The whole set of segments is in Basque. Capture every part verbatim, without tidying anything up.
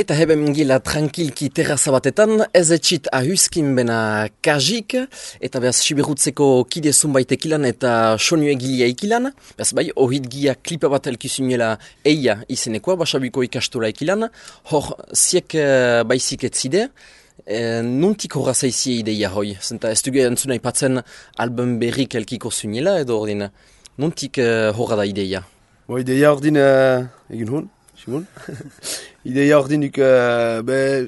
Eta heben gila tranquilki terraza batetan, ez etxit ahuskin bena kajik, eta behaz siberutzeko kide zunbait ekilan eta sonu egilia ekilan. Behaz bai, ohit gia klipa bat elkizunuela eia izenekoa, basabiko ikastura ekilan, hor ziek uh, baizik etzide, e, nuntik horra zaizie ideia hoi. Zenta ez dugu entzuna ipatzen album berrik elkiko zunuela, edo ordin, nuntik uh, horra da ideia? Bo, ideia ordin uh, egin hon, Simon. Ideia ordinuk, uh, be,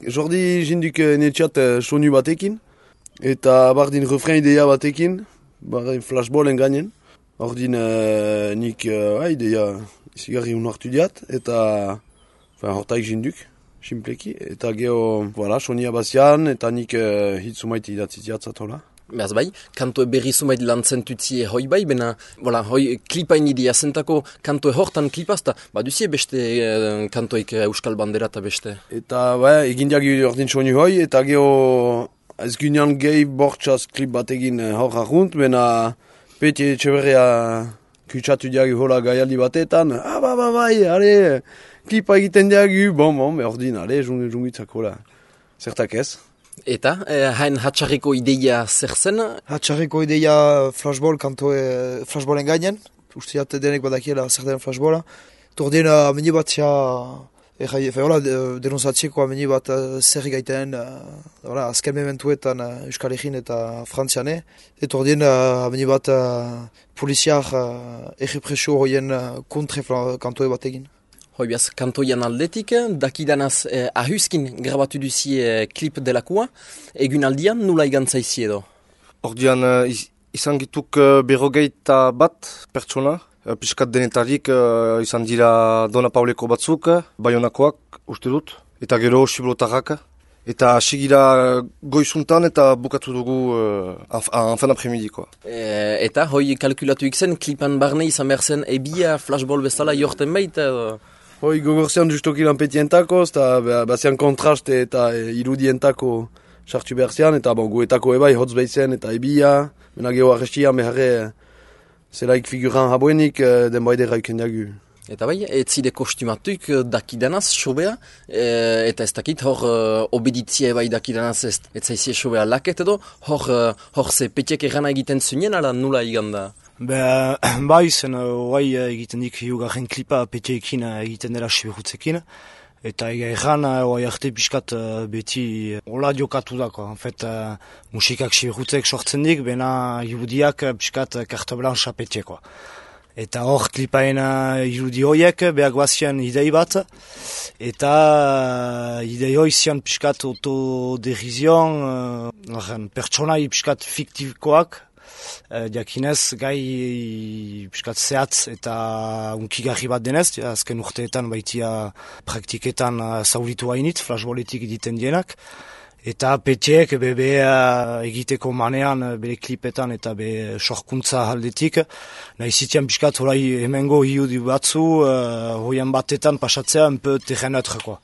jordi jinduk uh, netxat uh, sonu batekin, eta bardin refren ideia batekin, bardin flashballen gainen. Ordin uh, nik uh, ideia izigarri unartu diat, eta enfin, hortaik jinduk, simpleki, eta geho, voilà, sonia bazian, eta nik uh, hitzumaiti idatzi diatzatola. Behaz bai, kantoe berri zumait lantzen tutzie hoi bai, bena, voilà, hoi klipain idea zentako kantoe hortan klipazta, ba duzie beste eh, kantoik Euskal Bandera eta beste. Eta, bai, egin diagi ordin soni hoi, eta geho ez gynean gehi bortxaz klip bat egin hor ahunt, bena peti etxeberria kutsatu diagi hola gaialdi batetan, ah, ba, ba, bai, ale, klipa egiten diagi, bon, bon, be ordin, ale, jungitzak hola, zertak ez. Eta, eh, hain hatxarriko ideia zer zen? Hatxarriko ideia flashball, kantoe flashballen gainen. Usteat denek badakiela zer den flashballa. Tordien ameni bat ja, errai, fe hola, denonzatzeko ameni bat zer gaiten, hola, azken mementuetan Euskal Herrin eta Frantziane. Et tordien ameni bat poliziar errepresio hoien kontre kantoe bat egin. Hoi behaz, kantoian aldetik, dakidanaz eh, ahuskin grabatu duzie eh, klip delakoa, egun aldian nula igantzaizia edo? Ordian uh, izan gituk uh, berrogeita bat pertsona, uh, piskat denetarik uh, izan dira Dona Pauleko batzuk, Baionakoak uste dut, eta gero Siblotarrak, eta asigira goizuntan eta bukatu dugu uh, anfen apremidikoa. E, eta hoi kalkulatu ikzen, klipan barne izan behar zen ebia flashball bezala jorten baita edo? Hoi gogorzean justoki lanpetientako, eta bazian kontraste eta e, irudientako sartu beharzean, eta bon, guetako ebai hotz behitzen eta ebia, mena geho arrestia meharre zelaik figuran habuenik e, den baidera iken diagu. Eta bai, ez zide kostumatuk dakidanaz sobea, e, eta ez dakit hor uh, obeditzia bai dakidanaz ez, ez zaizie sobea laket edo, hor, uh, hor ze petiek errana egiten zunien, ala nula iganda? Be, bai, zen oai egiten dik hiugarren klipa petiekin egiten dela siberutzekin. Eta erran oai arte piskat beti hola diokatu dako. En fet, musikak siberutzek sortzen dik, bena irudiak piskat carte blanche petiekoa. Eta hor klipaen irudi hoiek behar guazian idei bat. Eta idei hoi zian piskat autoderizion, uh, pertsonai piskat fiktikoak. Diakinez, gai piskat zehatz eta unkigarri bat denez, azken urteetan baitia praktiketan zauritu hainit, flashballetik egiten dienak. Eta petiek bebe egiteko manean, bere klipetan eta be sorkuntza aldetik. Nahi zitian piskat horai hemengo hiudi batzu, hoian batetan pasatzea un peu terreneutreko.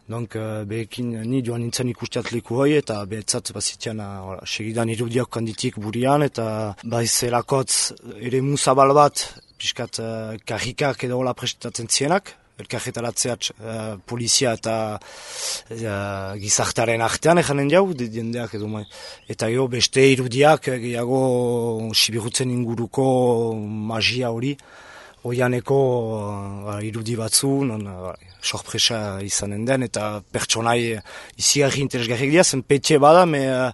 Donc, uh, behekin ni joan nintzen ikusteat leku hoi, eta behetzat bazitian uh, segidan irudiak kanditik burian, eta baizelakotz ere musabal bat, piskat uh, karrikak edo hola prestatzen zienak, elkarretaratzeat uh, polizia eta uh, gizartaren artean eganen jau, diendeak edo mai. Eta jo, beste irudiak gehiago sibirutzen inguruko magia hori, oianeko uh, irudi batzu, non uh, sorpresa izanen den, eta pertsonai izigarri interesgarrik dira, zen petxe bada, me uh,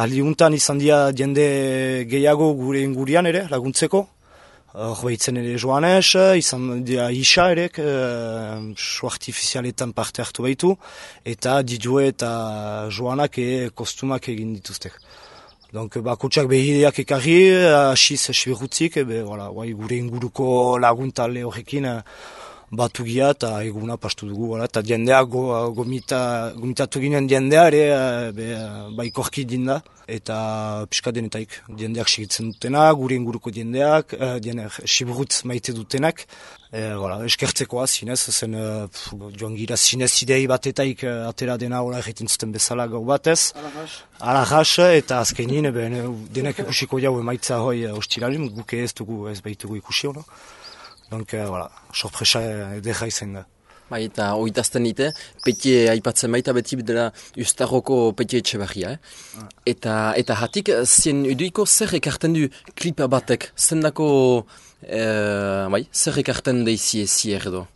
aldiuntan izan dira jende gehiago gure ingurian ere, laguntzeko. Hor uh, behitzen ere Joanes, izan dira Isa ere, uh, show artifizialetan parte hartu behitu, eta Didue eta Joanak e kostumak egin dituztek. Donc, bakotxak behideak ekarri, asiz esberutzik, be, voilà, gure inguruko laguntale horrekin batu gia eta eguna pastu dugu, voilà, eta diendea go, gomita, gomitatu ginen diendea ere be, baikorki dinda, eta pixka denetaik diendeak segitzen dutena, gure inguruko diendeak, uh, dieneak siburutz maite dutenak, e, voilà, eskertzekoa zinez, zen uh, joan gira zinez idei batetaik uh, atera dena hola egiten zuten bezala gau batez. Alajas, eta azkenin, denak ikusiko jau emaitza hoi uh, ostiralin, guke ez dugu ez behitugu ikusi hono. Donc, uh, voilà, sorpresa edera izan da. Bai, eta oitazten nite, petie aipatzen baita beti dela Ustarroko petie Etxebarria, eh? Ah. Eta, eta hatik, zien uduiko zer ekarten du klipa batek, zendako, eh, bai, zer ekarten deizie zier edo.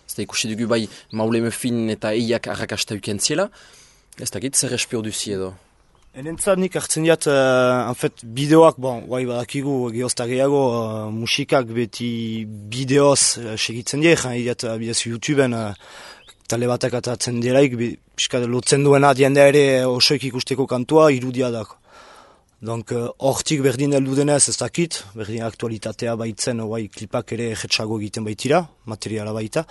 Ez da ikusi dugu bai Maule Muffin eta eiak arrakasta ukentziela, ez dakit zer espio duzi edo. Enentzat nik hartzen diat, uh, en fait, bideoak, bon, guai badakigu gehozta gehiago, uh, musikak beti bideoz uh, segitzen die, jan idiat uh, bidez YouTubeen uh, tale batak atatzen diraik, piskat lotzen duena diendea ere osoik ikusteko kantua irudia dako. Donc, hortik uh, berdin heldu denez ez dakit, berdin aktualitatea baitzen, guai klipak ere jetxago egiten baitira, materiala baita.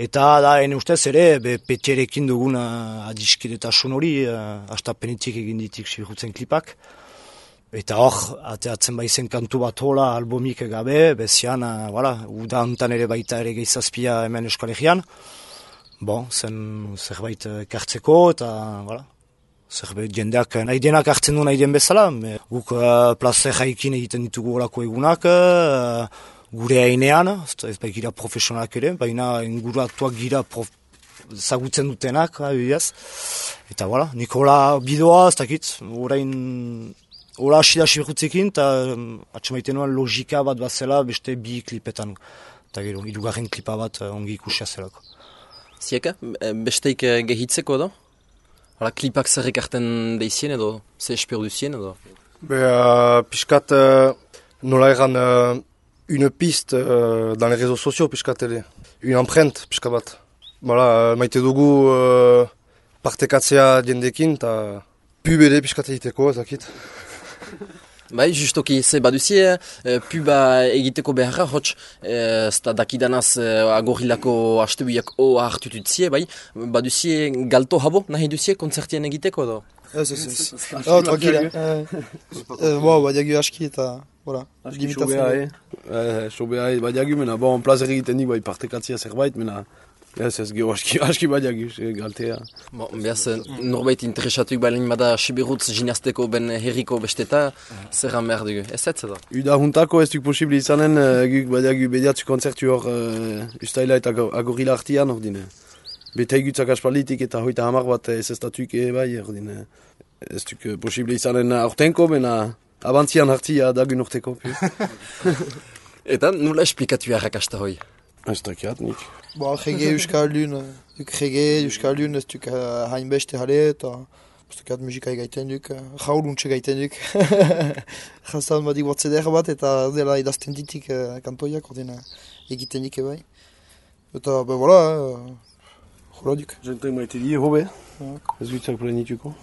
Eta da, ene ustez ere, be, petierekin dugun uh, adiskidetasun hori, uh, astapenetik egin ditik sibirutzen klipak. Eta hor, ateatzen baizen kantu bat hola, albumik gabe, bezian, uh, voilà, uda hontan ere baita ere gehizazpia hemen Euskal Bon, zen zerbait kartzeko eta, voilà. Zerbait jendeak nahi denak hartzen du nahi den bezala, me, guk uh, plazer jaikin egiten ditugu olako egunak, uh, gure hainean, ez baikira profesionalak ere, baina inguratuak gira prof, zagutzen dutenak, abiaz. Eta voilà, Nikola bidoa, ez dakit, orain, hola hasi da sibirutzekin, eta um, atxemaiten nuen logika bat bazela beste bi klipetan, eta gero, irugarren klipa bat uh, ongi ikusia zelako. Zieka, besteik gehitzeko edo? Hala, klipak zer ekarten deizien edo, zer espero duzien edo? Be, uh, piskat, uh, nola egan, uh, une piste uh, dans les réseaux sociaux, piskat ere. Une empreinte, piskat bat. Voilà, uh, maite dugu uh, partekatzea diendekin, eta pub ere piskat egiteko, ezakit. Bai, justoki, ze baduzie, e, puba egiteko beharra, hotx, ez da dakidanaz e, agorilako astebuiak oa hartututzie, bai, baduzie galto habo nahi duzie konzertien egiteko edo? Ez, ez, ez. Oh, tranquila. Bo, badiagu aski eta, voilà. Aski sobea, eh? Sobea, badiagu, mena, bon, plazer egiten nik, bai, partekatzea zerbait, mena, ez, ez, geho, aski, aski badiagu, galtea. Bon, behaz, norbait interesatuik balin bada Sibirutz ginazteko ben herriko besteta, zerran behar dugu, ez ez edo? Uda juntako ez duk posible izanen, guk badiagu bediatzu konzertu hor uh, Ustaila eta Agorila artian, hor dine. Bete egutzak aspalitik eta hoita hamar bat ez ez datuik bai, hor dine. Ez duk posible izanen aurtenko, bena abantzian hartia dagun urteko. Eta nola esplikatu harrakasta hoi? Ez dakiat nik. Bo, jege Euskaldun, duk jege Euskaldun ez duk hainbeste jale eta ez dukat musika gaiten duk, jauluntxe gaiten duk. Jaztan badik bat zeder bat eta dela idazten ditik kantoiak ordena egiten dik bai. Eta, be, voilà, jola duk. Jentek maite die, hobe. Ez dutzak plenituko.